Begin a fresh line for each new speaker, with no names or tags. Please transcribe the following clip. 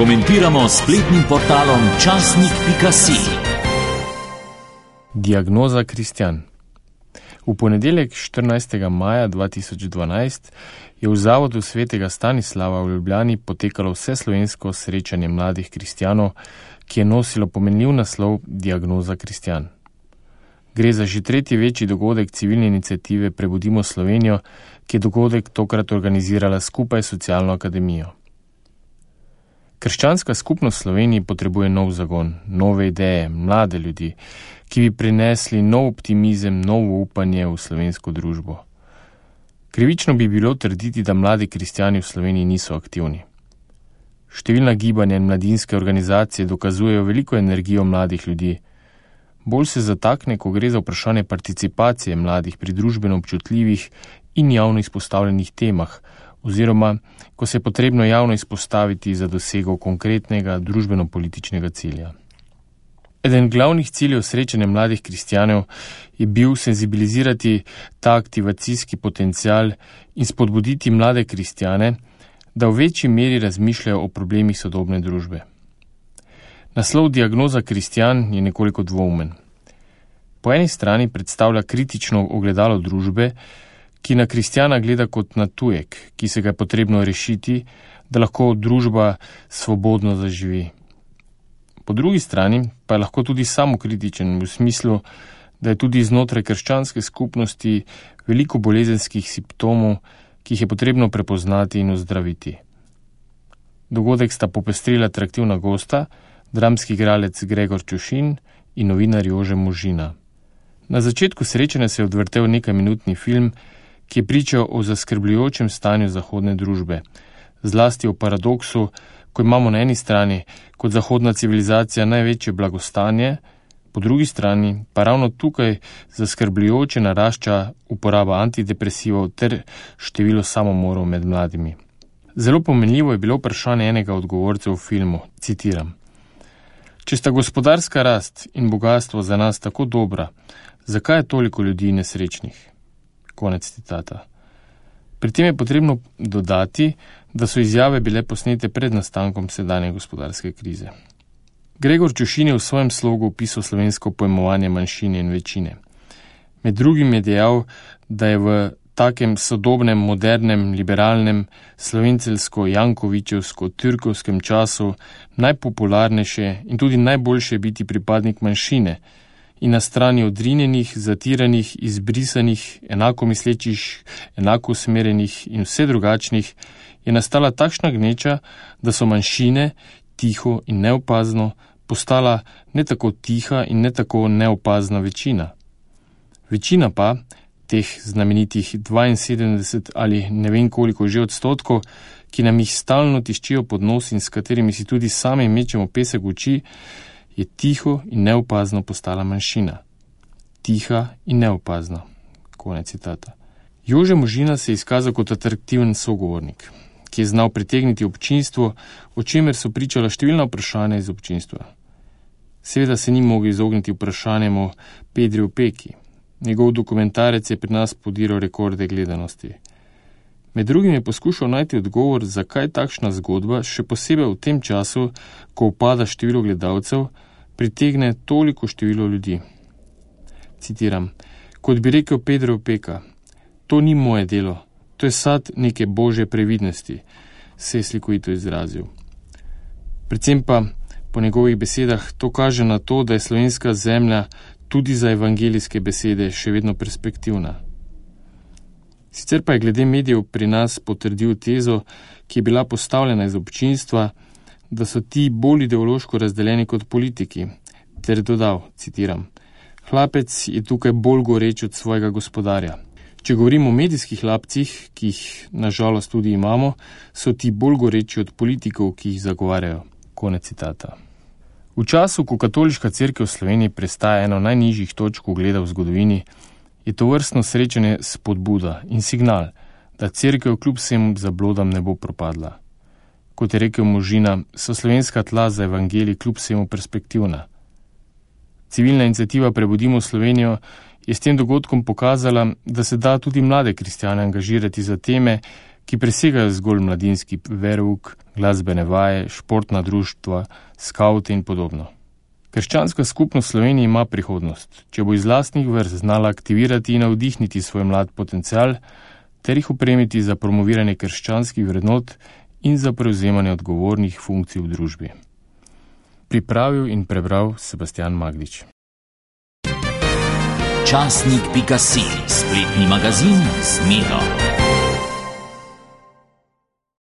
Komentiramo s spletnim portalom časnik.si.
Diagnoza Kristjan. V ponedeljek 14. maja 2012 je v Zavodu svetega Stanislava v Ljubljani potekalo vseslovensko srečanje mladih kristjanov, ki je nosilo pomenljiv naslov Diagnoza Kristjan. Gre za že tretji večji dogodek civilne iniciative Prebudimo Slovenijo, ki je dogodek tokrat organizirala skupaj s Socialno akademijo. Krščanska skupnost v Sloveniji potrebuje nov zagon, nove ideje, mlade ljudi, ki bi prinesli nov optimizem, novo upanje v slovensko družbo. Krivično bi bilo trditi, da mladi kristjani v Sloveniji niso aktivni. Številna gibanja in mladinske organizacije dokazujejo veliko energijo mladih ljudi. Bolj se zatakne, ko gre za vprašanje participacije mladih pri družbeno občutljivih in javno izpostavljenih temah, oziroma ko se je potrebno javno izpostaviti za dosego konkretnega družbeno-političnega cilja. Eden glavnih ciljev srečanja mladih kristjanov je bil senzibilizirati ta aktivacijski potencial in spodbuditi mlade kristjane, da v večji meri razmišljajo o problemih sodobne družbe. Naslov Diagnoza Kristjan je nekoliko dvoumen. Po eni strani predstavlja kritično ogledalo družbe, ki na kristjana gleda kot na tujek, ki se ga je potrebno rešiti, da lahko družba svobodno zaživi. Po drugi strani pa je lahko tudi samokritičen v smislu, da je tudi znotraj krščanske skupnosti veliko bolezenskih simptomov, ki jih je potrebno prepoznati in ozdraviti. Dogodek sta popestrila atraktivna gosta, dramski igralec Gregor Čušin in novinar Jože Možina. Na začetku srečanja se je odvrtel nekajminutni film, ki je pričal o zaskrbljujočem stanju zahodne družbe, zlasti o paradoksu, ko imamo na eni strani kot zahodna civilizacija največje blagostanje, po drugi strani pa ravno tukaj zaskrbljujoče narašča uporaba antidepresivov ter število samomorov med mladimi. Zelo pomenljivo je bilo vprašanje enega od govorcev v filmu, citiram: "Če sta gospodarska rast in bogastvo za nas tako dobra, zakaj je toliko ljudi nesrečnih?" Konec citata. Pri tem je potrebno dodati, da so izjave bile posnete pred nastankom sedanje gospodarske krize. Gregor Čušin je v svojem slogu opisal slovensko pojmovanje manjšine in večine. Med drugim je dejal, da je v takem sodobnem, modernem, liberalnem, slovenceljsko-jankovičevsko-türkovskem času najpopularnejše in tudi najboljše biti pripadnik manjšine in na strani odrinjenih, zatiranih, izbrisanih, enako mislečih, enako usmerjenih in vse drugačnih, je nastala takšna gneča, da so manjšine, tiho in neopazno, postala ne tako tiha in ne tako neopazna večina. Večina pa, teh znamenitih 72 ali ne vem koliko že odstotkov, ki nam jih stalno tiščijo pod nos in s katerimi si tudi sami mečemo pesek v oči, je tiho in neopazno postala manjšina. Tiha in neopazna. Konec citata. Jože Možina se je izkazal kot atraktiven sogovornik, ki je znal pritegniti občinstvo, o čemer so pričala številna vprašanja iz občinstva. Seveda se ni mogel izogniti vprašanjem o Pedri Opeki. Njegov dokumentarec je pri nas podiral rekorde gledanosti. Med drugim je poskušal najti odgovor, zakaj takšna zgodba, še posebej v tem času, ko upada število gledalcev, pritegne toliko število ljudi. Citiram: "Kot bi rekel Pedro Opeka, to ni moje delo, to je sad neke božje previdnosti," se je slikovito izrazil. Predvsem pa, po njegovih besedah, to kaže na to, da je slovenska zemlja tudi za evangelijske besede še vedno perspektivna. Sicer pa je glede medijev pri nas potrdil tezo, ki je bila postavljena iz občinstva, da so ti bolj ideološko razdeljeni kot politiki, ter dodal, citiram: "Hlapec je tukaj bolj goreč od svojega gospodarja. Če govorimo o medijskih hlapcih, ki jih nažalost tudi imamo, so ti bolj goreči od politikov, ki jih zagovarjajo." Konec citata. V času, ko katoliška cerkev v Sloveniji prestaja eno najnižjih točk ugleda v zgodovini, je to vrstno srečanje spodbuda in signal, da cerkev kljub vsem zablodam ne bo propadla. Kot je rekel Možina, so slovenska tla za evangelij kljub vsemu perspektivna. Civilna iniciativa Prebudimo Slovenijo je s tem dogodkom pokazala, da se da tudi mlade kristjane angažirati za teme, ki presegajo zgolj mladinski verouk, glasbene vaje, športna društva, skavte in podobno. Krščanska skupnost v Sloveniji ima prihodnost, če bo iz lastnih vrst znala aktivirati in navdihniti svoj mlad potencial ter jih opremiti za promoviranje krščanskih vrednot in za prevzemanje odgovornih funkcij v družbi. Pripravil in prebral Sebastian Magdič.
Časnik.si, spletni magazin z Miro.